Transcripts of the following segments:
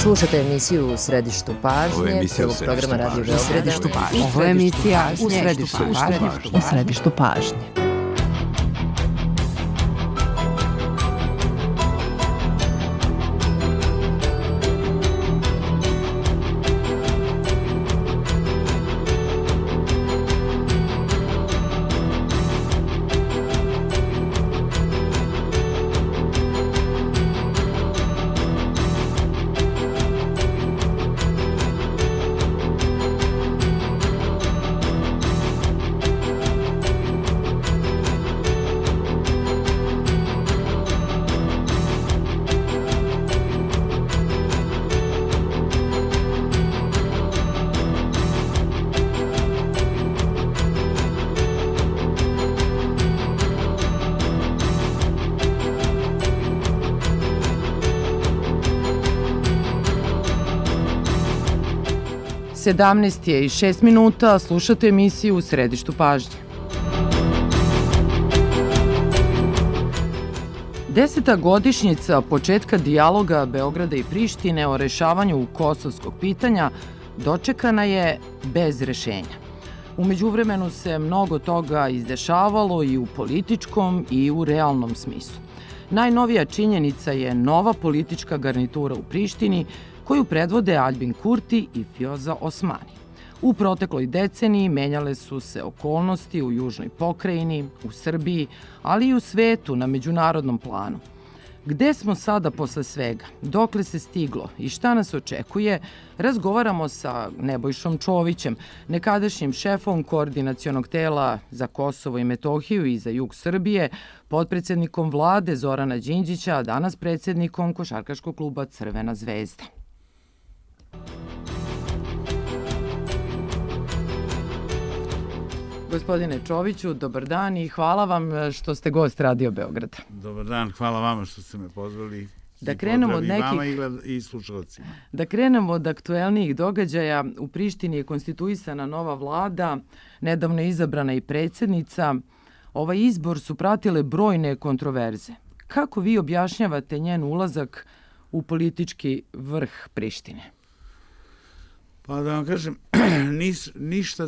Slušate emisiju U središtu pažnje, prvog programa Radio Beograda. Ovo je emisija U središtu pažnje. Sedamnaest je i 6 minuta, slušate emisiju U središtu pažnje. 10. godišnjica početka dijaloga Beograda i Prištine o rešavanju kosovskog pitanja dočekana je bez rešenja. U međuvremenu se mnogo toga izdešavalo i u političkom i u realnom smislu. Najnovija činjenica je nova politička garnitura u Prištini koju predvode Aljbin Kurti i Vjosa Osmani. U protekloj deceniji menjale su se okolnosti u južnoj pokrajini, u Srbiji, ali i u svetu na međunarodnom planu. Gde smo sada posle svega? Dokle se stiglo i šta nas očekuje? Razgovaramo sa Nebojšom Čovićem, nekadašnjim šefom koordinacionog tela za Kosovo i Metohiju i za jug Srbije, potpredsednikom vlade Zorana Đinđića, a danas predsednikom košarkaškog kluba Crvena zvezda. Gospodine Čoviću, dobar dan i hvala vam što ste gost Radio Beograda. Dobar dan, hvala vama što ste me pozvali. Da krenemo od nekih i slušalcima. Da krenemo od aktuelnijih događaja. U Prištini je konstituisana nova vlada, nedavno je izabrana i predsednica. Ovaj izbor su pratile brojne kontroverze. Kako vi objašnjavate njen ulazak u politički vrh Prištine? Pa da vam kažem, ništa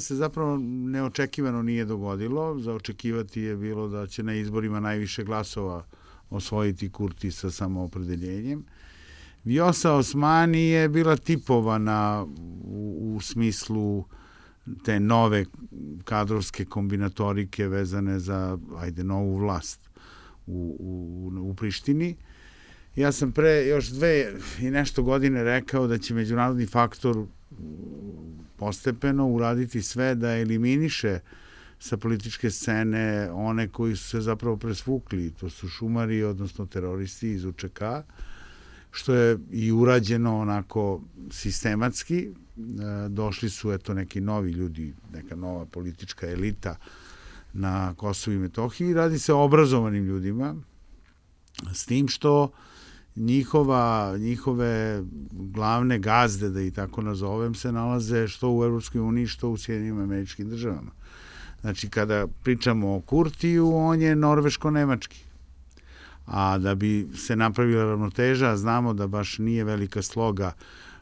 se zapravo neočekivano nije dogodilo. Za očekivati je bilo da će na izborima najviše glasova osvojiti Kurti sa samoopredeljenjem. Vjosa Osmani je bila tipovana u smislu te nove kadrovske kombinatorike vezane za novu vlast u Prištini. Ja sam pre još 2 i nešto godine rekao da će međunarodni faktor postepeno uraditi sve da eliminiše sa političke scene one koji su se zapravo presvukli. To su šumari, odnosno teroristi iz UČK, što je i urađeno onako sistematski. Došli su neki novi ljudi, neka nova politička elita na Kosovu i Metohiji. Radi se o obrazovanim ljudima, s tim što njihove glavne gazde, da i tako nazovem, se nalaze što u Evropskoj uniji, što u Sjedinjenim Američkim Državama. Znači, kada pričamo o Kurtiju, on je norveško-nemački. A da bi se napravila ravnoteža, znamo da baš nije velika sloga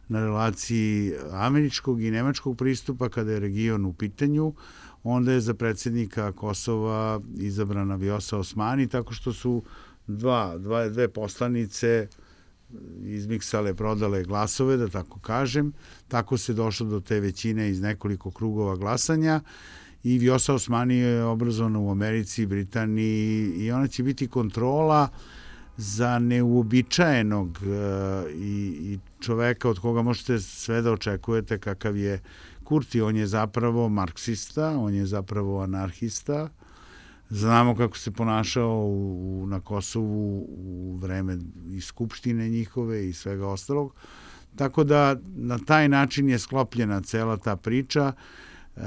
na relaciji američkog i nemačkog pristupa kada je region u pitanju, onda je za predsjednika Kosova izabrana Vjosa Osmani, tako što su dve poslanice izmiksale, prodale glasove, da tako kažem. Tako se došlo do te većine iz nekoliko krugova glasanja i Vjosa Osmani je obrazovana u Americi, Britaniji i ona će biti kontrola za neuobičajenog i čoveka od koga možete sve da očekujete kakav je Kurti. On je zapravo marksista, on je zapravo anarhista. Znamo kako se ponašao na Kosovu u vreme i skupštine njihove i svega ostalog. Tako da na taj način je sklopljena cela ta priča.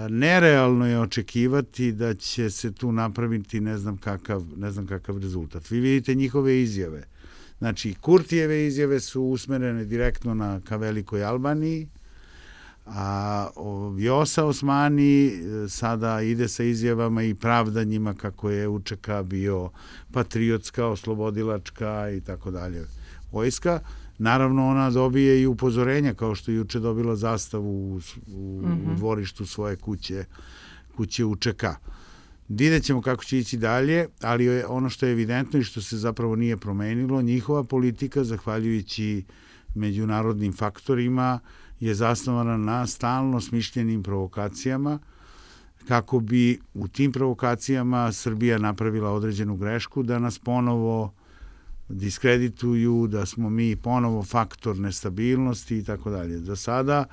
Nerealno je očekivati da će se tu napraviti ne znam kakav rezultat. Vi vidite njihove izjave. Znači, Kurtijeve izjave su usmerene direktno ka Velikoj Albaniji, a Vjosa Osmani sada ide sa izjavama i pravdanjima kako je UČK bio patriotska, oslobodilačka i tako dalje vojska. naravno ona dobije i upozorenja, kao što je juče dobila zastavu u dvorištu svoje kuće UČK. Vidjet ćemo kako će ići dalje, ali ono što je evidentno i što se zapravo nije promenilo, njihova politika, zahvaljujući međunarodnim faktorima, je zasnovana na stalno smišljenim provokacijama, kako bi u tim provokacijama Srbija napravila određenu grešku, da nas ponovo diskredituju, da smo mi ponovo faktor nestabilnosti i tako dalje. Za sada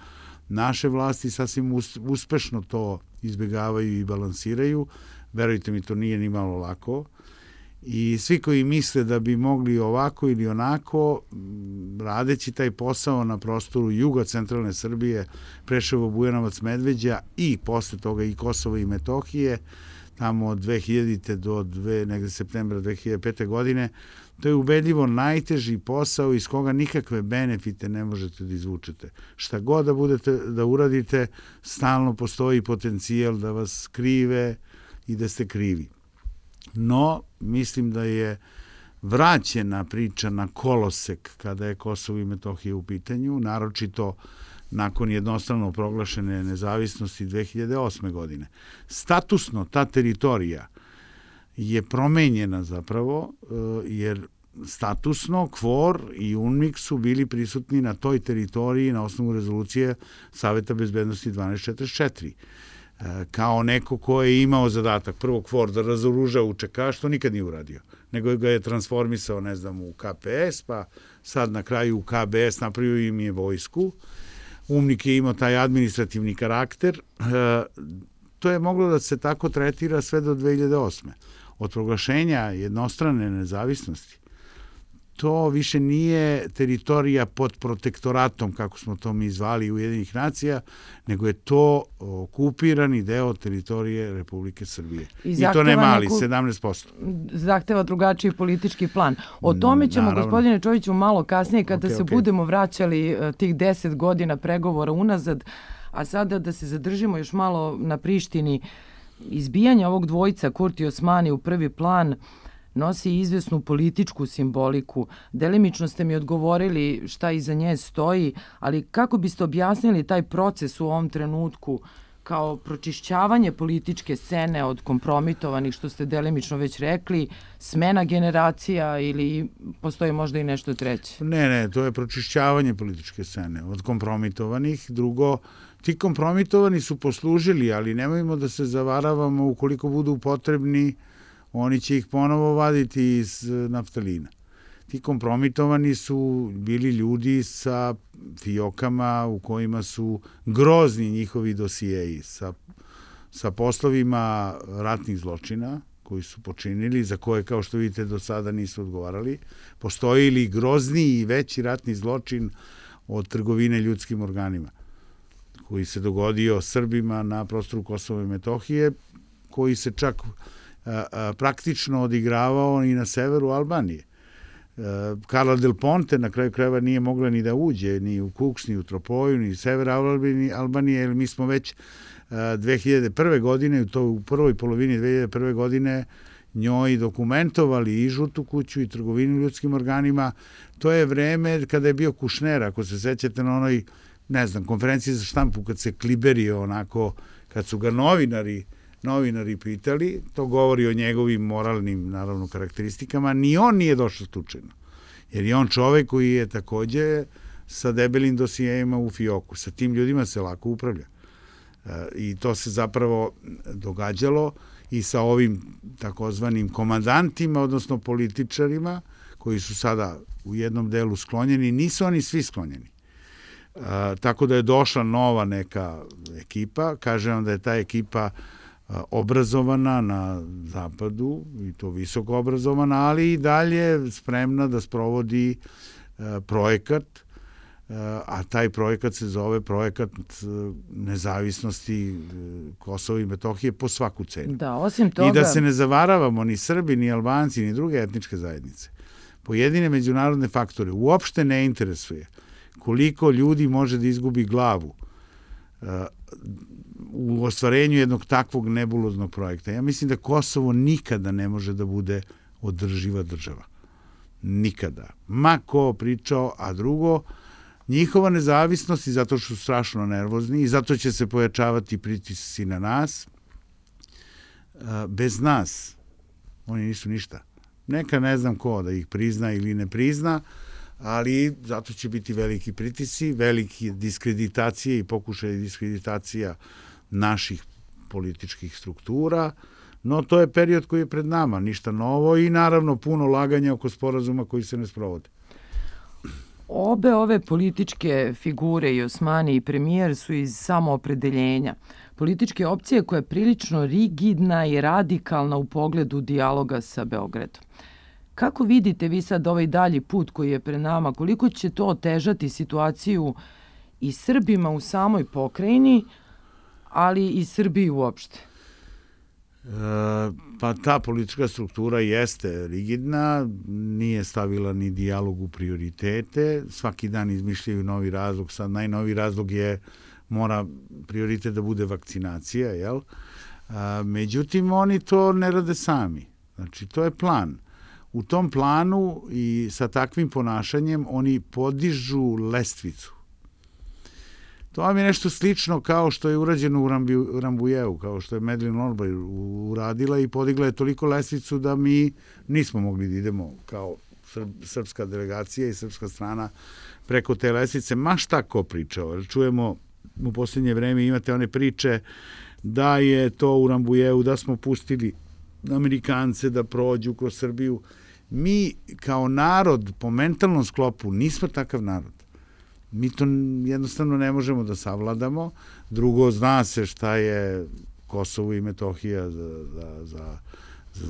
naše vlasti sasvim uspešno to izbjegavaju i balansiraju. Verujte mi, to nije ni malo lako. I svi koji misle da bi mogli ovako ili onako, radeći taj posao na prostoru juga centralne Srbije, Preševo, Bujanovac, Medveđa i posle toga i Kosova i Metohije, tamo od 2000. do negde septembra 2005. godine, to je ubedljivo najteži posao iz koga nikakve benefite ne možete da izvučete. Šta god da budete da uradite, stalno postoji potencijal da vas krive i da ste krivi. No, mislim da je vraćena priča na kolosek kada je Kosovo i Metohija u pitanju, naročito nakon jednostrano proglašene nezavisnosti 2008. godine. Statusno ta teritorija je promenjena zapravo, jer statusno KFOR i UNMIK su bili prisutni na toj teritoriji na osnovu rezolucije Saveta bezbednosti 1244. Kao neko ko je imao zadatak prvo KFOR da razoruža UČK, što nikad nije uradio, nego ga je transformisao, ne znam, u KPS, pa sad na kraju u KBS napravio im je vojsku. UNMIK je imao taj administrativni karakter. To je moglo da se tako tretira sve do 2008. Od proglašenja jednostrane nezavisnosti to više nije teritorija pod protektoratom, kako smo to mi zvali Ujedinjenih nacija, nego je to okupirani deo teritorije Republike Srbije. I to ne mali, 17%. Zahteva drugačiji politički plan. O tome ćemo, gospodine Čoviću, malo kasnije, kada se budemo vraćali tih 10 godina pregovora unazad, a sada da se zadržimo još malo na Prištini. Izbijanje ovog dvojca, Kurti i Osmani, u prvi plan nosi izvesnu političku simboliku. Delimično ste mi odgovorili šta iza nje stoji, ali kako biste objasnili taj proces u ovom trenutku kao pročišćavanje političke scene od kompromitovanih, što ste delimično već rekli, smena generacija ili postoji možda i nešto treće? Ne, to je pročišćavanje političke scene od kompromitovanih. Drugo, ti kompromitovani su poslužili, ali nemojmo da se zavaravamo, ukoliko budu potrebni, oni će ih ponovo vaditi iz naftalina. Ti kompromitovani su bili ljudi sa fijokama u kojima su grozni njihovi dosijeji, sa poslovima ratnih zločina koji su počinili, za koje, kao što vidite, do sada nisu odgovarali. Postoji li grozniji i veći ratni zločin od trgovine ljudskim organima, koji se dogodio Srbima na prostoru Kosova i Metohije, koji se čak praktično odigravao i na severu Albanije. Carla Del Ponte na kraju krajeva nije mogla ni da uđe ni u Kuks, ni u Tropoju, ni sever Albanije, jer mi smo već 2001. godine, u prvoj polovini 2001. godine, njoj dokumentovali i žutu kuću i trgovinu ljudskim organima. To je vreme kada je bio Kušner, ako se sećate na onoj, ne znam, konferenciji za štampu, kad se kliberio onako, kad su ga novinari pitali, to govori o njegovim moralnim, naravno, karakteristikama, ni on nije došao slučajno. Jer je on čovek koji je takođe sa debelim dosijejima u fioku. Sa tim ljudima se lako upravlja. I to se zapravo događalo i sa ovim takozvanim komandantima, odnosno političarima, koji su sada u jednom delu sklonjeni. Nisu oni svi sklonjeni. Tako da je došla nova neka ekipa. Kažem vam da je ta ekipa obrazovana na zapadu, i to visoko obrazovana, ali i dalje spremna da sprovodi projekat, a taj projekat se zove projekat nezavisnosti Kosova i Metohije po svaku cenu. Da, osim toga... I da se ne zavaravamo ni Srbi, ni Albanci, ni druge etničke zajednice. Pojedine međunarodne faktore uopšte ne interesuje koliko ljudi može da izgubi glavu u ostvarenju jednog takvog nebuloznog projekta. Ja mislim da Kosovo nikada ne može da bude održiva država. Nikada. Ma ko pričao, a drugo, njihova nezavisnost i zato što su strašno nervozni i zato će se pojačavati pritisci na nas, bez nas oni nisu ništa. Neka ne znam ko da ih prizna ili ne prizna, ali zato će biti veliki pritisci, veliki diskreditacije i pokušaj diskreditacija naših političkih struktura, no to je period koji je pred nama, ništa novo i naravno puno laganja oko sporazuma koji se ne sprovode. Obe ove političke figure, i Osmani i premijer, su iz samoopredeljenja. Političke opcije koja je prilično rigidna i radikalna u pogledu dijaloga sa Beogradom. Kako vidite vi sad ovaj dalji put koji je pred nama? Koliko će to otežati situaciju i Srbima u samoj pokrajini, ali i Srbiji uopšte? Pa ta politička struktura jeste rigidna, nije stavila ni dijalog u prioritete, svaki dan izmišljaju novi razlog, sad najnoviji razlog je mora prioritet da bude vakcinacija, jel? Međutim, oni to ne rade sami, znači to je plan. U tom planu i sa takvim ponašanjem oni podižu lestvicu. To vam je nešto slično kao što je urađeno u Rambujeu, kao što je Madeleine Albright uradila i podigla je toliko lestvicu da mi nismo mogli da idemo kao srpska delegacija i srpska strana preko te lestvice. Ma šta ko pričao? Čujemo u posljednje vreme, imate one priče da je to u Rambujeu, da smo pustili Amerikance da prođu kroz Srbiju. Mi kao narod po mentalnom sklopu nismo takav narod. Mi to jednostavno ne možemo da savladamo. Drugo, zna se šta je Kosovo i Metohija za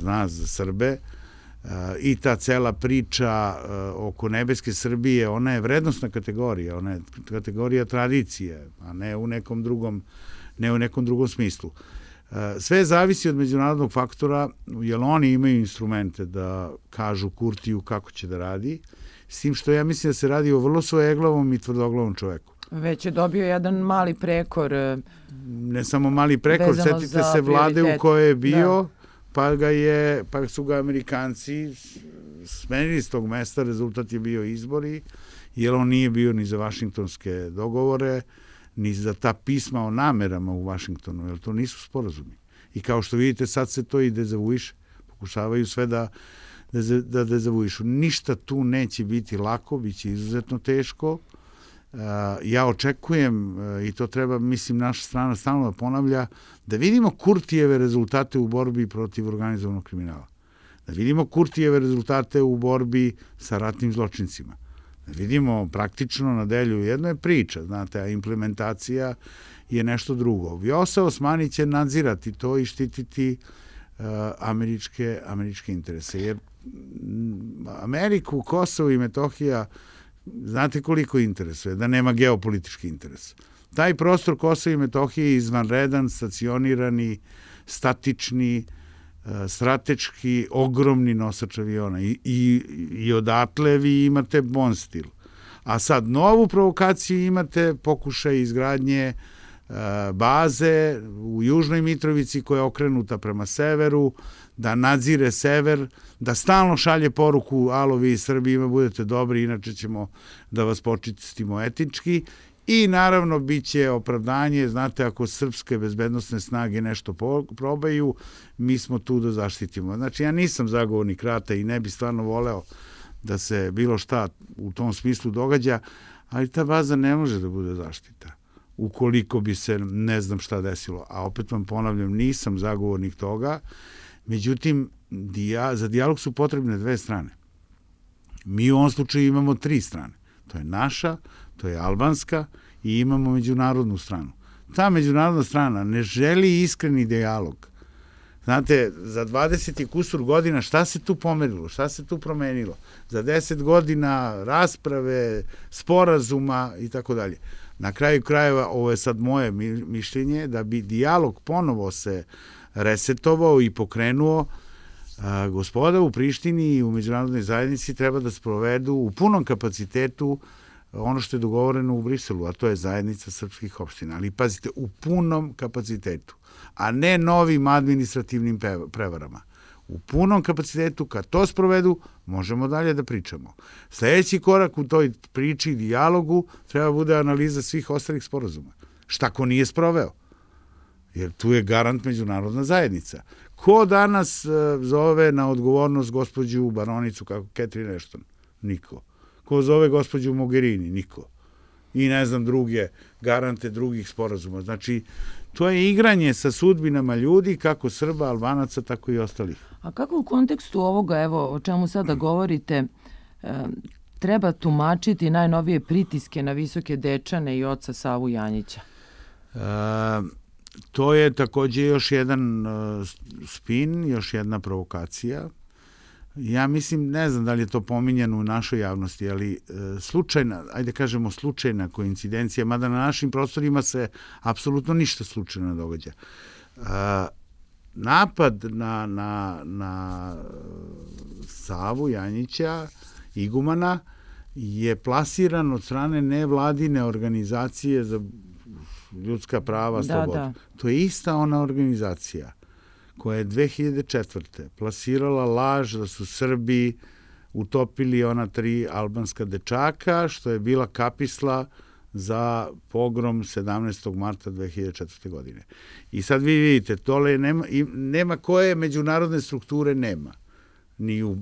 nas, za Srbe. I ta cela priča oko nebeske Srbije, ona je vrednostna kategorija, ona je kategorija tradicije, a ne u nekom drugom smislu. Sve zavisi od međunarodnog faktora, jer oni imaju instrumente da kažu Kurtiju kako će da radi, s tim što ja mislim da se radi o vrlo svojeglavom i tvrdoglavom čoveku. Već je dobio jedan mali prekor. Ne samo mali prekor, setite se vlade u kojoj je bio, pa su ga Amerikanci smenili s tog mesta, rezultat je bio izbori, jer on nije bio ni za vašingtonske dogovore, ni za ta pisma o namerama u Vašingtonu, jer to nisu sporazumi. I kao što vidite, sad se to i dezavuiše. Pokušavaju sve da dezavuišu. Ništa tu neće biti lako, bit će izuzetno teško. Ja očekujem, i to treba, mislim, naša strana stalno da ponavlja, da vidimo Kurtijeve rezultate u borbi protiv organizovanog kriminala. Da vidimo Kurtijeve rezultate u borbi sa ratnim zločincima. Da vidimo praktično na delju. Jedno je priča, znate, a implementacija je nešto drugo. Vjosa Osmani će nadzirati to i štititi američke interese. Jer Ameriku, Kosovo i Metohija, znate koliko interesuje, da nema geopolitički interes. Taj prostor Kosova i Metohije je izvanredan, stacionirani, statični, strateški, ogromni nosač aviona i odatle vi imate Bonstil. A sad novu provokaciju imate pokušaj izgradnje baze u Južnoj Mitrovici koja je okrenuta prema severu, da nadzire sever, da stalno šalje poruku alo vi Srbijima budete dobri, inače ćemo da vas počistimo etnički. I naravno bit će opravdanje, znate, ako srpske bezbednosne snage nešto probaju, mi smo tu da zaštitimo. Znači, ja nisam zagovornik rata i ne bi stvarno voleo da se bilo šta u tom smislu događa, ali ta baza ne može da bude zaštita ukoliko bi se ne znam šta desilo. A opet vam ponavljam, nisam zagovornik toga. Međutim, za dijalog su potrebne dve strane. Mi u ovom slučaju imamo tri strane. To je naša, to je albanska i imamo međunarodnu stranu. Ta međunarodna strana ne želi iskreni dijalog. Znate, za 20 i kusur godina šta se tu pomerilo, šta se tu promenilo? Za 10 godina rasprave, sporazuma i tako dalje. Na kraju krajeva, ovo je sad moje mišljenje, da bi dijalog ponovo se resetovao i pokrenuo, gospoda u Prištini i u međunarodnoj zajednici treba da sprovedu u punom kapacitetu ono što je dogovoreno u Briselu, a to je zajednica srpskih opština. Ali pazite, u punom kapacitetu, a ne novim administrativnim prevarama. u punom kapacitetu, kad to sprovedu, možemo dalje da pričamo. Sljedeći korak u toj priči i dijalogu treba bude analiza svih ostalih sporazuma. Šta ko nije sproveo? Jer tu je garant međunarodna zajednica. Ko danas zove na odgovornost gospođu baronicu kako Catherine Ashton? Niko. Ko zove gospođu Mogherini? Niko. I ne znam druge garante drugih sporazuma. Znači, to je igranje sa sudbinama ljudi, kako Srba, Albanaca, tako i ostalih. A kako u kontekstu ovoga, evo, o čemu sada govorite, treba tumačiti najnovije pritiske na Visoke Dečane i oca Savu Janjića? To je takođe još jedan spin, još jedna provokacija. Ja mislim, ne znam da li je to pominjano u našoj javnosti, ali slučajna koincidencija, mada na našim prostorima se apsolutno ništa slučajno ne događa. Napad na Savu Janjića, igumana, je plasiran od strane nevladine organizacije za ljudska prava, slobodu. Da. To je ista ona organizacija koja je 2004. plasirala laž da su Srbi utopili ona 3 albanska dečaka, što je bila kapisla za pogrom 17. marta 2004. godine. I sad vi vidite, tole nema koje međunarodne strukture nema. Ni u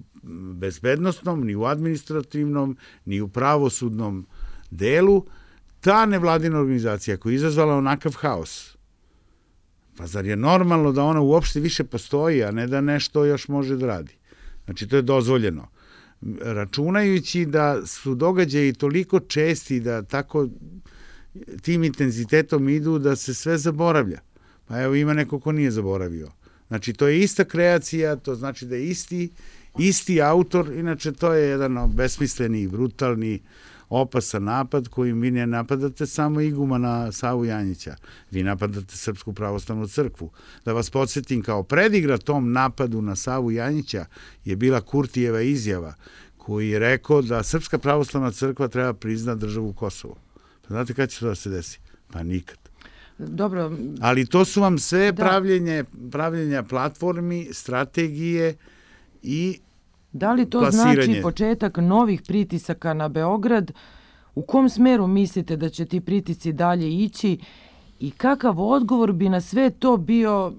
bezbednostnom, ni u administrativnom, ni u pravosudnom delu. Ta nevladina organizacija koja je izazvala onakav haos, pa zar je normalno da ona uopšte više postoji, a ne da nešto još može da radi? Znači, to je dozvoljeno. Računajući da su događaji toliko česti, da tako tim intenzitetom idu da se sve zaboravlja. Pa evo, ima neko ko nije zaboravio. Znači, to je ista kreacija, to znači da je isti autor, inače to je jedan besmisleni, brutalni, opasan napad kojim vi ne napadate samo igumana Savu Janjića. Vi napadate Srpsku pravoslavnu crkvu. Da vas podsjetim, kao predigra tom napadu na Savu Janjića je bila Kurtijeva izjava koji je rekao da Srpska pravoslavna crkva treba priznati državu Kosovo. Pa znate kada će to da se desi? Pa nikad. Dobro. Ali to su vam sve pravljenja platformi, strategije i da li to plasiranje. Znači početak novih pritisaka na Beograd? U kom smeru mislite da će ti pritisci dalje ići i kakav odgovor bi na sve to bio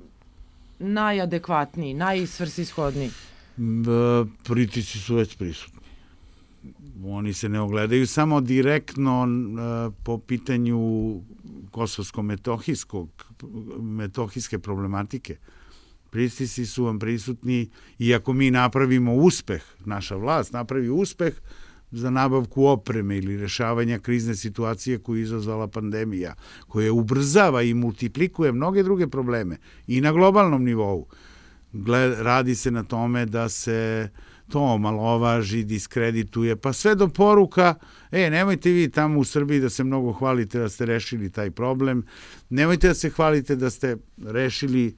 najadekvatniji, najsvrsishodniji? Pritisci su već prisutni. Oni se ne ogledaju samo direktno po pitanju kosovsko-metohijske problematike. Pritisci su vam prisutni i ako mi napravimo uspeh, naša vlast napravi uspeh za nabavku opreme ili rešavanja krizne situacije koju je izazvala pandemija, koja ubrzava i multiplikuje mnoge druge probleme i na globalnom nivou. Radi se na tome da se to omalovaži, diskredituje, pa sve do poruka, nemojte vi tamo u Srbiji da se mnogo hvalite da ste rešili taj problem, nemojte da se hvalite da ste rešili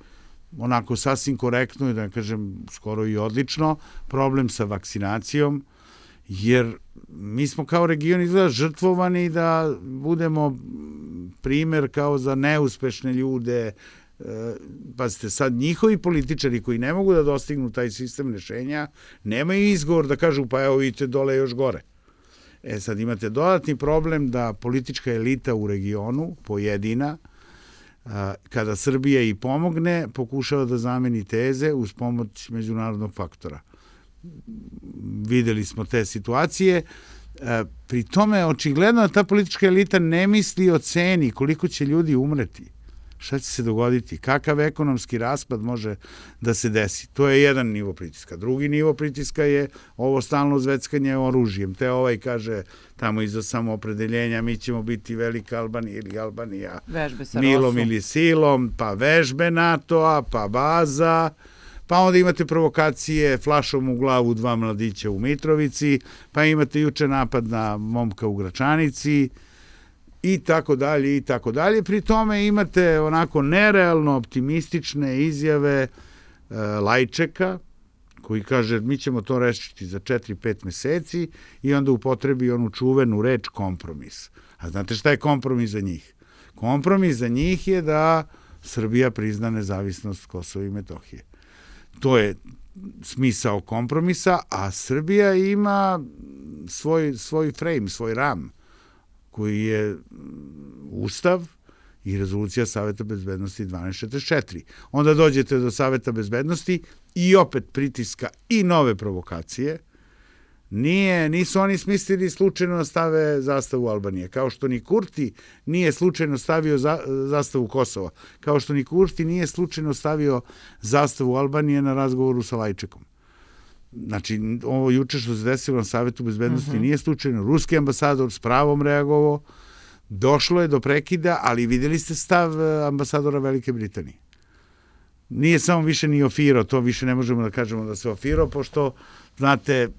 onako sasvim korektno i da kažem skoro i odlično problem sa vakcinacijom, jer mi smo kao region izgleda žrtvovani da budemo primer kao za neuspešne ljude. Pazite, sad njihovi političari koji ne mogu da dostignu taj sistem rešenja, nemaju izgovor da kažu pa evo vidite dole još gore. Sad imate dodatni problem da politička elita u regionu, pojedina, kada Srbija i pomogne, pokušava da zameni teze uz pomoć međunarodnog faktora. Videli smo te situacije. Pri tome, očigledno, ta politička elita ne misli o ceni koliko će ljudi umreti. Šta će se dogoditi? Kakav ekonomski raspad može da se desi? To je jedan nivo pritiska. Drugi nivo pritiska je ovo stalno zveckanje oružjem. Te ovaj kaže tamo iza samoopredeljenja mi ćemo biti velika Albanija ili Albanija milom ili silom, pa vežbe NATO-a, pa baza, pa onda imate provokacije flašom u glavu 2 mladića u Mitrovici, pa imate juče napad na momka u Gračanici, i tako dalje, i tako dalje. Pri tome imate onako nerealno optimistične izjave Lajčeka, koji kaže mi ćemo to rešiti za 4-5 meseci i onda upotrebi onu čuvenu reč kompromis. A znate šta je kompromis za njih? Kompromis za njih je da Srbija prizna nezavisnost Kosova i Metohije. To je smisao kompromisa, a Srbija ima svoj frame, svoj ram, koji je Ustav i rezolucija Saveta bezbednosti 1244. Onda dođete do Saveta bezbednosti i opet pritiska i nove provokacije. Nisu oni smislili slučajno da stave zastavu Albanije, kao što ni Kurti nije slučajno stavio zastavu Kosova, kao što ni Kurti nije slučajno stavio zastavu Albanije na razgovoru sa Lajčekom. Znači, ovo juče što se desilo na Savetu bezbednosti nije slučajno. Ruski ambasador s pravom reagovao, došlo je do prekida, ali vidjeli ste stav ambasadora Velike Britanije. Nije samo više ni ofirao, to više ne možemo da kažemo da se ofirao, pošto, znate,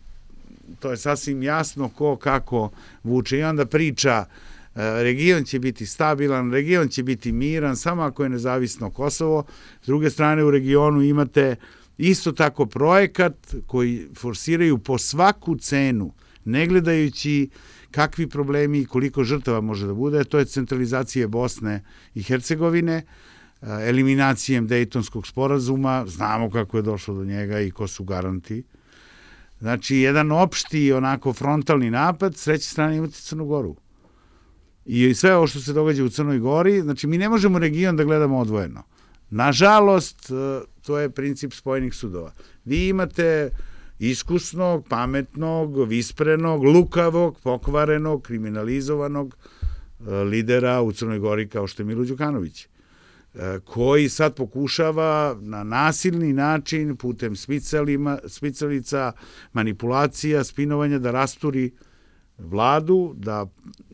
to je sasvim jasno ko kako vuče i onda priča region će biti stabilan, region će biti miran, samo ako je nezavisno Kosovo. S druge strane, u regionu imate isto tako projekat koji forsiraju po svaku cenu, ne gledajući kakvi problemi i koliko žrtava može da bude, to je centralizacija Bosne i Hercegovine, eliminacijem Dejtonskog sporazuma, znamo kako je došlo do njega i ko su garanti. Znači, jedan opšti, onako frontalni napad, s treće strane imate Crnu Goru. I sve ovo što se događa u Crnoj Gori, znači mi ne možemo region da gledamo odvojeno. Nažalost, to je princip spojenih sudova. Vi imate iskusnog, pametnog, visprenog, lukavog, pokvarenog, kriminalizovanog lidera u Crnoj Gori kao što je Milo Đukanović, koji sad pokušava na nasilni način, putem smicalica, manipulacija, spinovanja, da rasturi vladu, da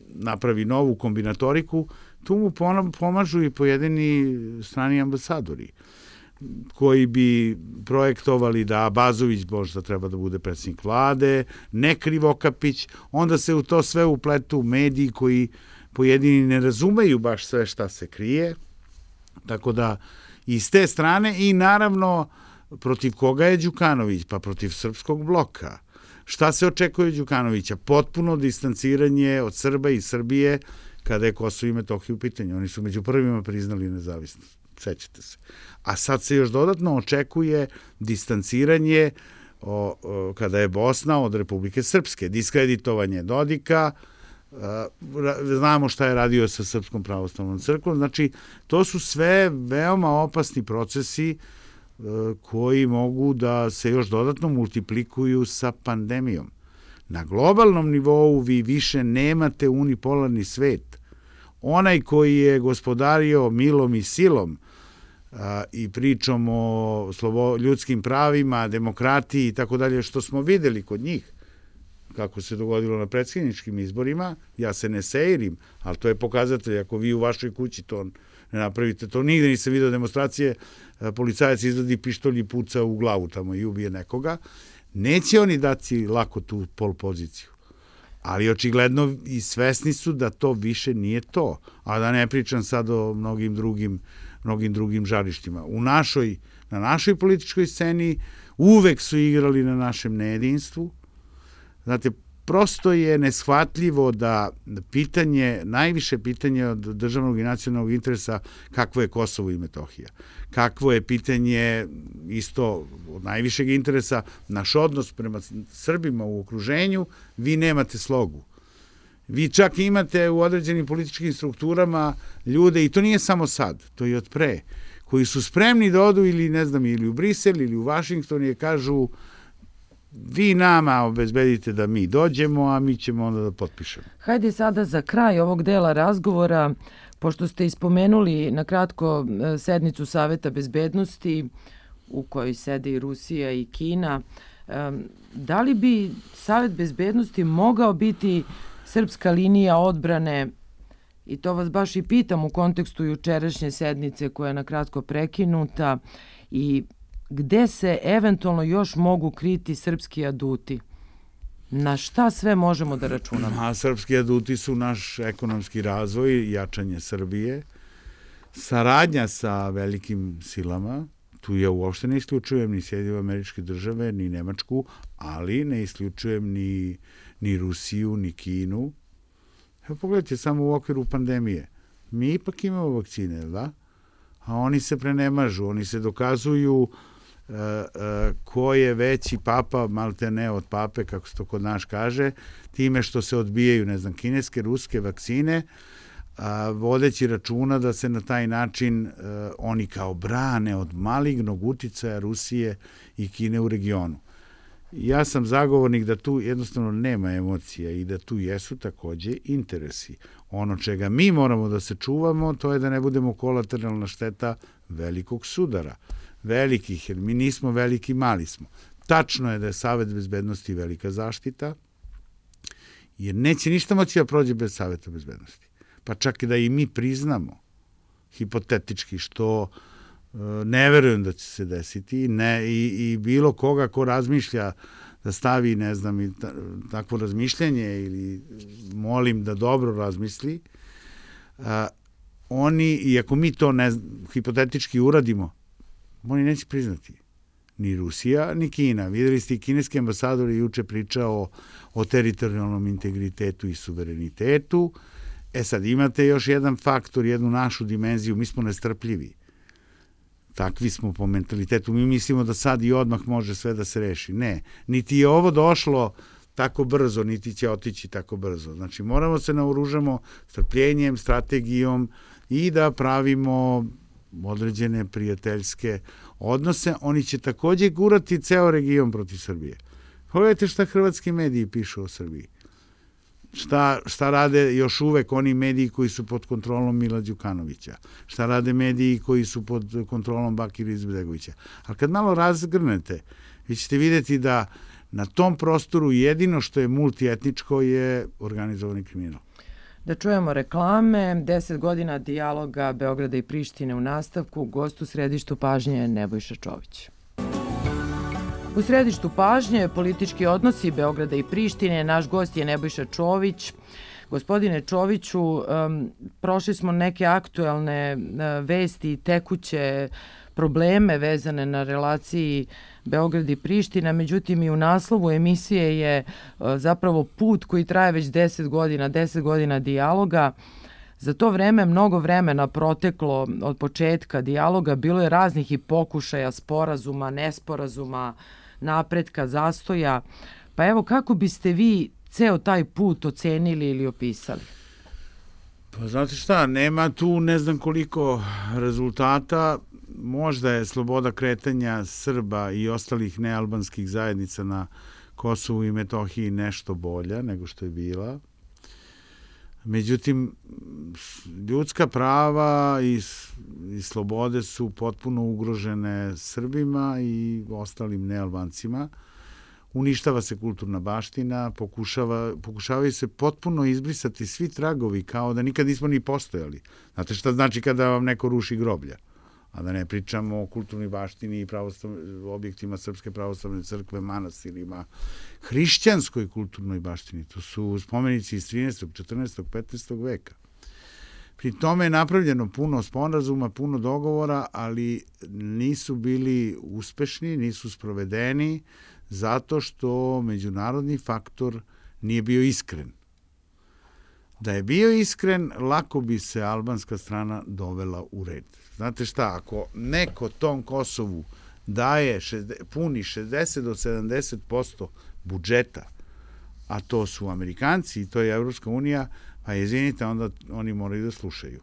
napravi novu kombinatoriku. Tu mu pomažu i pojedini strani ambasadori, koji bi projektovali da Abazović možda treba da bude predsjednik vlade, ne Krivokapić, onda se u to sve upletu mediji koji pojedini ne razumeju baš sve šta se krije. Tako da, iz te strane i naravno protiv koga je Đukanović? Pa protiv srpskog bloka. Šta se očekuje od Đukanovića? Potpuno distanciranje od Srba i Srbije kada je Kosovo i Metohija u pitanju. Oni su među prvima priznali nezavisnost. Sećate se. A sad se još dodatno očekuje distanciranje kada je Bosna od Republike Srpske. Diskreditovanje Dodika, znamo šta je radio sa Srpskom pravoslavnom crkvom, znači to su sve veoma opasni procesi koji mogu da se još dodatno multiplikuju sa pandemijom. Na globalnom nivou vi više nemate unipolarni svet. Onaj koji je gospodario milom i silom i pričom o ljudskim pravima, demokratiji i tako dalje, što smo videli kod njih, kako se dogodilo na predsjedničkim izborima, ja se ne seirim, ali to je pokazatelj, ako vi u vašoj kući to ne napravite, to nigde nisam vidio demonstracije, policajac izvadi pištolj i puca u glavu tamo i ubije nekoga, neće oni dati lako tu pol poziciju. Ali očigledno i svesni su da to više nije to, a da ne pričam sad o mnogim drugim žarištima. Na našoj političkoj sceni uvek su igrali na našem nejedinstvu. Znate, prosto je neshvatljivo da najviše pitanje od državnog i nacionalnog interesa kakvo je Kosovo i Metohija. Kakvo je pitanje isto od najvišeg interesa naš odnos prema Srbima u okruženju, vi nemate slogu. Vi čak imate u određenim političkim strukturama ljude, i to nije samo sad, to je od pre, koji su spremni da odu ili u Brisel ili u Vašington i kažu vi nama obezbedite da mi dođemo, a mi ćemo onda da potpišemo. Hajde sada za kraj ovog dela razgovora, pošto ste ispomenuli na kratko sednicu Saveta bezbednosti u kojoj sede i Rusija i Kina, da li bi Savet bezbednosti mogao biti srpska linija odbrane, i to vas baš i pitam u kontekstu jučerašnje sednice koja je na kratko prekinuta, i gde se eventualno još mogu kriti srpski aduti? Na šta sve možemo da računamo? A srpski aduti su naš ekonomski razvoj, jačanje Srbije, saradnja sa velikim silama, tu ja uopšte ne isključujem ni Sjedinjene Američke Države, ni Nemačku, ali ne isključujem ni Rusiju, ni Kinu. Evo pogledajte, samo u okviru pandemije. Mi ipak imamo vakcine, da? A oni se prenemažu, oni se dokazuju ko je veći papa, malte ne od pape, kako se to kod nas kaže, time što se odbijaju, ne znam, kineske, ruske vakcine, vodeći računa da se na taj način oni kao brane od malignog uticaja Rusije i Kine u regionu. Ja sam zagovornik da tu jednostavno nema emocija i da tu jesu takođe interesi. Ono čega mi moramo da se čuvamo, to je da ne budemo kolateralna šteta velikog sudara. Velikih, jer mi nismo veliki, mali smo. Tačno je da je Savet bezbednosti velika zaštita, jer neće ništa moći da prođe bez Saveta bezbednosti. Pa čak i da i mi priznamo, hipotetički, što ne verujem da će se desiti, i bilo koga ko razmišlja da stavi, ne znam, takvo razmišljanje ili molim da dobro razmisli, oni, i ako mi to hipotetički uradimo, oni neće priznati. Ni Rusija, ni Kina. Videli ste i kineski ambasador je juče pričao o teritorijalnom integritetu i suverenitetu. Sad imate još jedan faktor, jednu našu dimenziju, mi smo nestrpljivi. Takvi smo po mentalitetu. Mi mislimo da sad i odmah može sve da se reši. Ne, niti je ovo došlo tako brzo, niti će otići tako brzo. Znači, moramo se naoružamo strpljenjem, strategijom i da pravimo određene prijateljske odnose. Oni će takođe gurati ceo region protiv Srbije. Pogledajte šta hrvatski mediji pišu o Srbiji. Šta rade još uvek oni mediji koji su pod kontrolom Mila Đukanovića? Šta rade mediji koji su pod kontrolom Bakira Izetbegovića? Ali kad malo razgrnete, vi ćete vidjeti da na tom prostoru jedino što je multietničko je organizovani kriminal. Da čujemo reklame. 10 godina dijaloga Beograda i Prištine u nastavku. Gost u središtu pažnje je Nebojša Čović. U središtu pažnje politički odnosi Beograda i Prištine. Naš gost je Nebojša Čović. Gospodine Čoviću, prošli smo neke aktuelne vesti i tekuće probleme vezane na relaciji Beograd i Priština, međutim i u naslovu emisije je zapravo put koji traje već 10 godina dijaloga. Za to vreme mnogo vremena proteklo od početka dijaloga, bilo je raznih i pokušaja sporazuma, nesporazuma, napretka, zastoja. Pa evo, kako biste vi ceo taj put ocenili ili opisali? Pa znate šta, nema tu ne znam koliko rezultata. Možda je sloboda kretanja Srba i ostalih nealbanskih zajednica na Kosovu i Metohiji nešto bolja nego što je bila. Međutim, ljudska prava i slobode su potpuno ugrožene Srbima i ostalim nealbancima. Uništava se kulturna baština, pokušavaju se potpuno izbrisati svi tragovi kao da nikad nismo ni postojali. Znate šta znači kada vam neko ruši groblja? A da ne pričamo o kulturnoj baštini i objektima Srpske pravoslavne crkve, manastirima, hrišćanskoj kulturnoj baštini. To su spomenici iz 13., 14., 15. veka. Pri tome je napravljeno puno sporazuma, puno dogovora, ali nisu bili uspešni, nisu sprovedeni, zato što međunarodni faktor nije bio iskren. Da je bio iskren, lako bi se albanska strana dovela u red. Znate šta, ako neko tom Kosovu daje puni 60 do 70% budžeta, a to su Amerikanci i to je Evropska unija, pa izvinite, onda oni moraju da slušaju.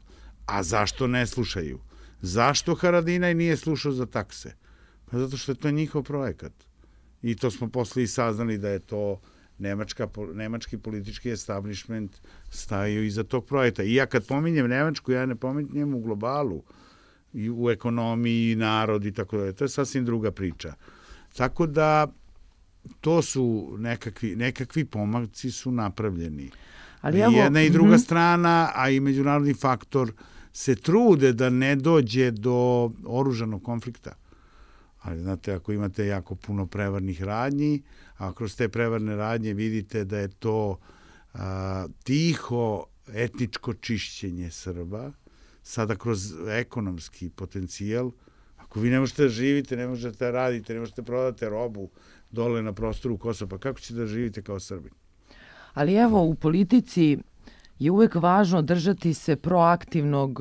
A zašto ne slušaju? Zašto Haradinaj nije slušao za takse? Pa zato što je to njihov projekat. I to smo posle i saznali da je to nemački politički establishment stajao iza tog projekta. I ja kad pominjem Nemačku, ja ne pominjem u globalu, i u ekonomiji, narod i tako dalje. To je sasvim druga priča. Tako da to su nekakvi pomaci su napravljeni. Ali jedna i druga strana, a i međunarodni faktor se trude da ne dođe do oružanog konflikta. Ali znate, ako imate jako puno prevarnih radnji, a kroz te prevarne radnje vidite da je to tiho etničko čišćenje Srba, sada kroz ekonomski potencijal, ako vi ne možete da živite, ne možete da radite, ne možete da prodate robu dole na prostoru Kosova, pa kako ćete da živite kao Srbin? Ali evo, u politici je uvek važno držati se proaktivnog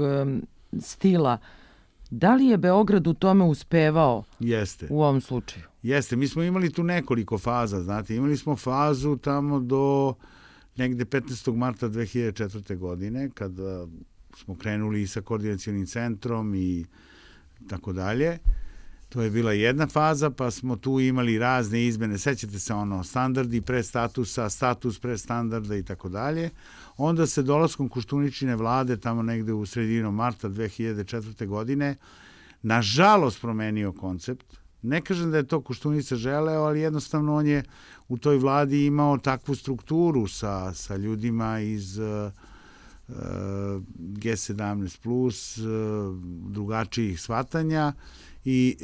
stila Da li je Beograd u tome uspevao u ovom slučaju? Jeste, mi smo imali tu nekoliko faza, znate, imali smo fazu tamo do negde 15. marta 2004. godine, kada smo krenuli i sa koordinacionim centrom i tako dalje. To je bila jedna faza, pa smo tu imali razne izmene, sećate se standardi pre statusa, status pre standarda i tako dalje. Onda se dolaskom Koštuničine vlade, tamo negde u sredinom marta 2004. godine, nažalost promenio koncept. Ne kažem da je to Koštunica želeo, ali jednostavno on je u toj vladi imao takvu strukturu sa ljudima iz G17+, drugačijih shvatanja i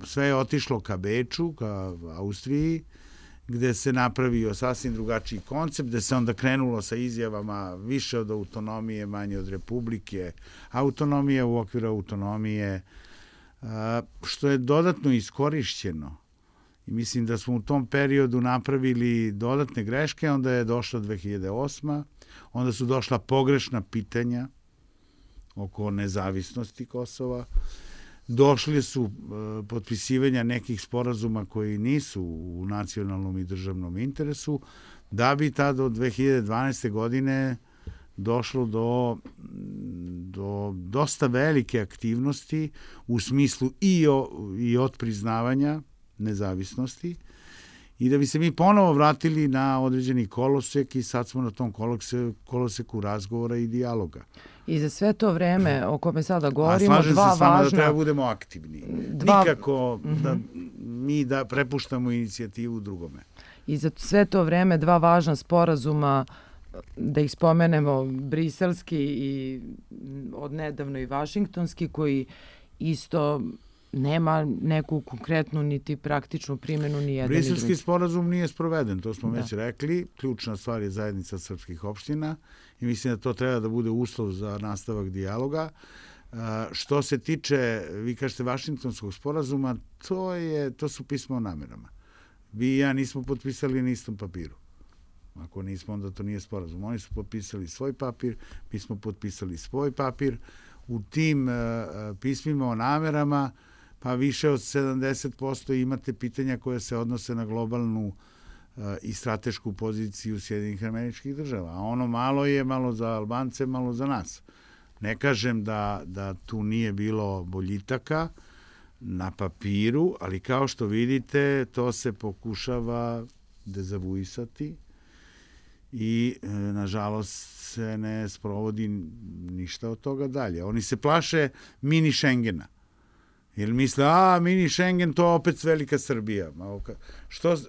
sve je otišlo ka Beču, ka Austriji, gde se napravio sasvim drugačiji koncept, gde se onda krenulo sa izjavama više od autonomije, manje od republike, autonomije u okviru autonomije, što je dodatno iskorišćeno. I mislim da smo u tom periodu napravili dodatne greške, onda je došla 2008. Onda su došla pogrešna pitanja oko nezavisnosti Kosova. Došli su potpisivanja nekih sporazuma koji nisu u nacionalnom i državnom interesu, da bi tada od 2012. godine došlo do dosta velike aktivnosti u smislu i otpriznavanja nezavisnosti i da bi se mi ponovo vratili na određeni kolosek i sad smo na tom koloseku razgovora i dijaloga. I za sve to vreme o kome sada govorimo, slažem se s vama da treba budemo aktivni. Nikako da mi da prepuštamo inicijativu drugome. I za sve to vreme dva važna sporazuma, da ih spomenemo, briselski i odnedavno i vašingtonski, koji isto nema neku konkretnu niti praktičnu primjenu ni jedan ni drugi. Briselski sporazum nije sproveden, to smo već rekli. Ključna stvar je zajednica srpskih opština i mislim da to treba da bude uslov za nastavak dijaloga. Što se tiče, vi kažete, vašingtonskog sporazuma, to su pisma o namerama. Vi i ja nismo potpisali na istom papiru. Ako nismo, onda to nije sporazum. Oni su potpisali svoj papir, mi smo potpisali svoj papir. U tim pismima o namerama pa više od 70% imate pitanja koje se odnose na globalnu i stratešku poziciju Sjedinjenih Američkih Država. A ono malo je malo za Albance, malo za nas. Ne kažem da tu nije bilo boljitaka na papiru, ali kao što vidite, to se pokušava dezavuisati i nažalost se ne sprovodi ništa od toga dalje. Oni se plaše mini Schengena. Jer misle, mini Schengen, to opet velika Srbija.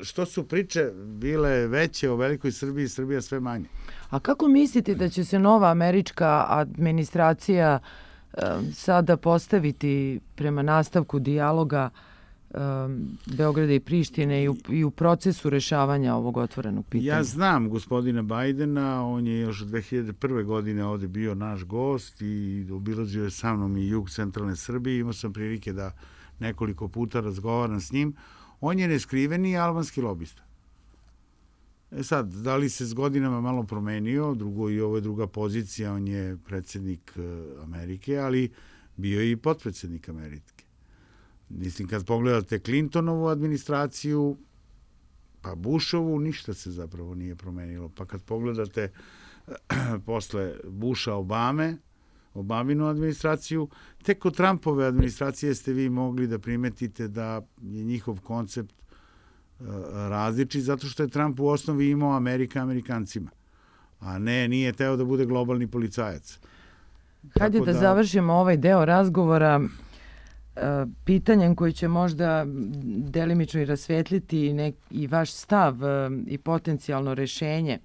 Što su priče bile veće o velikoj Srbiji, Srbija sve manje. A kako mislite da će se nova američka administracija sada postaviti prema nastavku dijaloga Beograda i Prištine i u procesu rešavanja ovog otvorenog pitanja? Ja znam gospodina Bajdena, on je još 2001. godine ovde bio naš gost i obilazio je sa mnom i jug centralne Srbije. Imao sam prilike da nekoliko puta razgovaram s njim. On je neskriveni albanski lobista. Sad, da li se s godinama malo promenio, i ovo je druga pozicija, on je predsjednik Amerike, ali bio je i potpredsjednik Amerike. Mislim, kad pogledate Clintonovu administraciju, pa Bushovu, ništa se zapravo nije promenilo. Pa kad pogledate posle Busha Obaminu administraciju, tek od Trumpove administracije ste vi mogli da primetite da je njihov koncept različit, zato što je Trump u osnovi imao Amerikancima, a nije teo da bude globalni policajac. Hajde da završimo ovaj deo razgovora pitanjem koji će možda delimično i rasvetliti i vaš stav i potencijalno rešenje.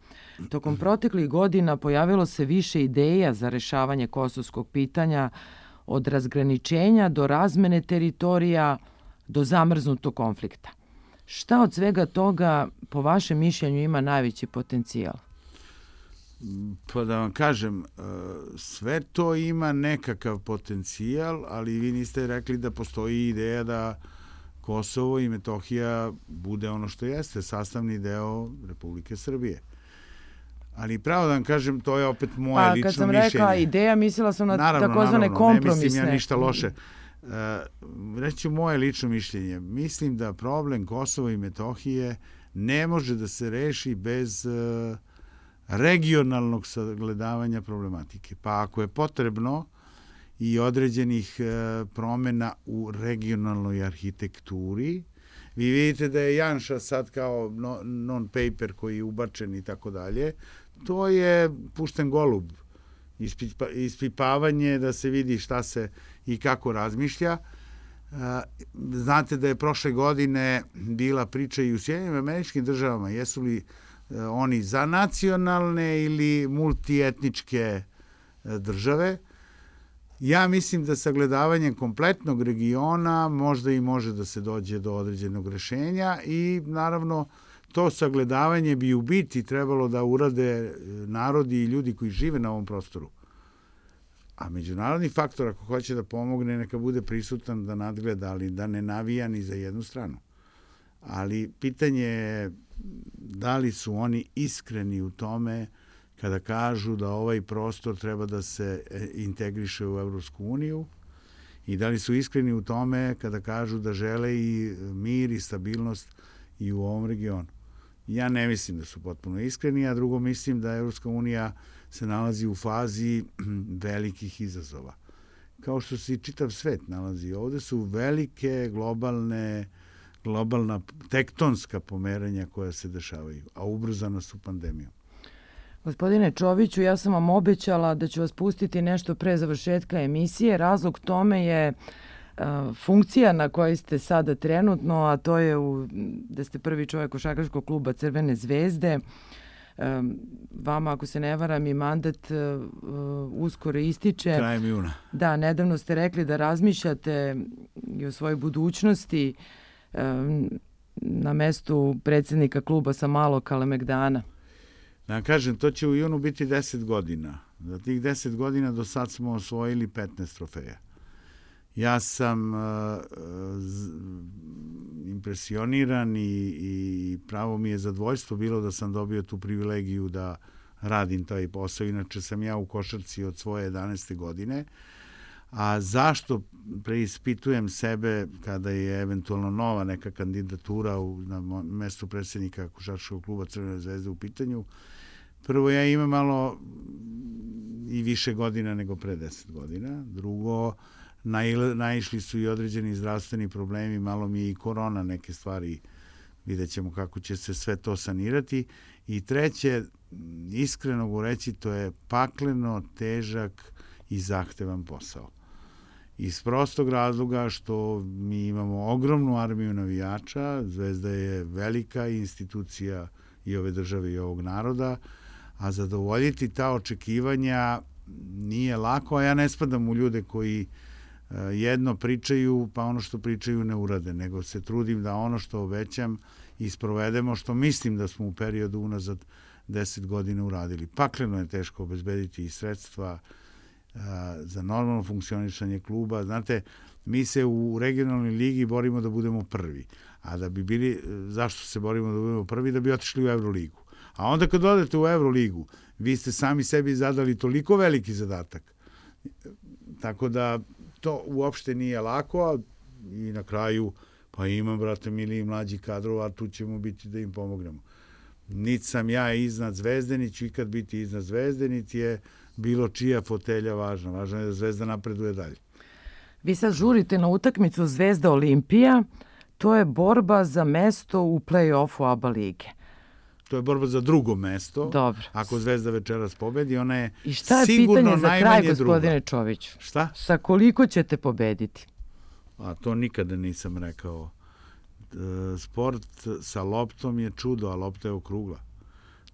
Tokom proteklih godina pojavilo se više ideja za rešavanje kosovskog pitanja, od razgraničenja do razmene teritorija do zamrznutog konflikta. Šta od svega toga, po vašem mišljenju, ima najveći potencijal? Pa da vam kažem, sve to ima nekakav potencijal, ali vi niste rekli da postoji ideja da Kosovo i Metohija bude ono što jeste, sastavni deo Republike Srbije. Ali pravo da vam kažem, to je opet moje lično mišljenje. Pa kad sam rekla ideja, mislila sam na takozvane kompromisne. Ne mislim ja ništa loše. Reći ću moje lično mišljenje. Mislim da problem Kosova i Metohije ne može da se reši bez regionalnog sagledavanja problematike. Pa ako je potrebno i određenih promjena u regionalnoj arhitekturi, vi vidite da je Janša sad kao non-paper koji je ubačen i tako dalje, to je pušten golub, ispipavanje da se vidi šta se i kako razmišlja. Znate da je prošle godine bila priča i u Sjedinjenim Američkim Državama, jesu li oni za nacionalne ili multietničke države. Ja mislim da sagledavanjem kompletnog regiona možda i može da se dođe do određenog rešenja i naravno to sagledavanje bi u biti trebalo da urade narodi i ljudi koji žive na ovom prostoru. A međunarodni faktor, ako hoće da pomogne, neka bude prisutan da nadgleda, ali da ne navija ni za jednu stranu. Ali pitanje je da li su oni iskreni u tome kada kažu da ovaj prostor treba da se integriše u Evropsku uniju i da li su iskreni u tome kada kažu da žele i mir i stabilnost i u ovom regionu. Ja ne mislim da su potpuno iskreni, a drugo mislim da Evropska unija se nalazi u fazi velikih izazova. Kao što se i čitav svet nalazi. Ovde su velike globalna tektonska pomeranja koja se dešavaju, a ubrzana su pandemijom. Gospodine Čoviću, ja sam vam obećala da ću vas pustiti nešto pre završetka emisije. Razlog tome je funkcija na kojoj ste sada trenutno, a to je da ste prvi čovjek košarkaškog kluba Crvene zvezde. Vama, ako se ne varam, i mandat uskoro ističe. Krajem juna. Da, nedavno ste rekli da razmišljate i o svojoj budućnosti na mestu predsjednika kluba sa Malog Kalemegdana. Da kažem, to će u junu biti 10 godina. Za tih 10 godina do sad smo osvojili 15 trofeja. Ja sam impresioniran i pravo mi je zadovoljstvo bilo da sam dobio tu privilegiju da radim taj posao. Inače sam ja u košarci od svoje 11. godine. A zašto preispitujem sebe kada je eventualno nova neka kandidatura na mestu predsjednika košarkaškog kluba Crvene zvezde u pitanju? Prvo, ja imam malo i više godina nego pre 10 godina. Drugo, naišli su i određeni zdravstveni problemi, malo mi je i korona neke stvari, vidjet ćemo kako će se sve to sanirati. I treće, iskreno govoreći, to je pakleno, težak i zahtevan posao. Iz prostog razloga što mi imamo ogromnu armiju navijača, Zvezda je velika institucija i ove države i ovog naroda, a zadovoljiti ta očekivanja nije lako, a ja ne spadam u ljude koji jedno pričaju, pa ono što pričaju ne urade, nego se trudim da ono što obećam i sprovedemo, što mislim da smo u periodu unazad 10 godina uradili. Pakleno je teško obezbediti i sredstva za normalno funkcionisanje kluba. Znate, mi se u regionalnoj ligi borimo da budemo prvi. A da bi bili, zašto se borimo da budemo prvi? Da bi otišli u Euroligu. A onda kad odete u Euroligu, vi ste sami sebi zadali toliko veliki zadatak. Tako da to uopšte nije lako i na kraju pa imam, brate mili, i mlađi kadrova, a tu ćemo biti da im pomognemo. Niti sam ja iznad Zvezde, niti ću ikad biti iznad Zvezde, niti je bilo čija fotelja važna. Važno je da Zvezda napreduje dalje. Vi sad žurite na utakmicu Zvezda Olimpija. To je borba za mesto u play-offu ABA lige. To je borba za drugo mesto. Dobro. Ako Zvezda večeras pobedi, ona je sigurno najmanje druga. I šta je pitanje za kraj, gospodine Čoviću? Šta? Sa koliko ćete pobediti? A to nikada nisam rekao. Sport sa loptom je čudo, a lopta je okrugla.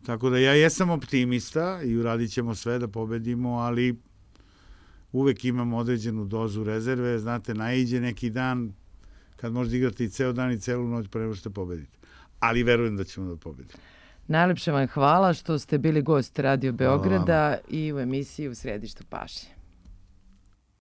Tako da ja jesam optimista i uradit ćemo sve da pobedimo, ali uvek imam određenu dozu rezerve. Znate, naiđe neki dan kad možete igrati i ceo dan i celu noć pre nego što pobedite. Ali verujem da ćemo da pobedimo. Najlepše vam hvala što ste bili gost Radio Beograda i u emisiji U središtu pažnje.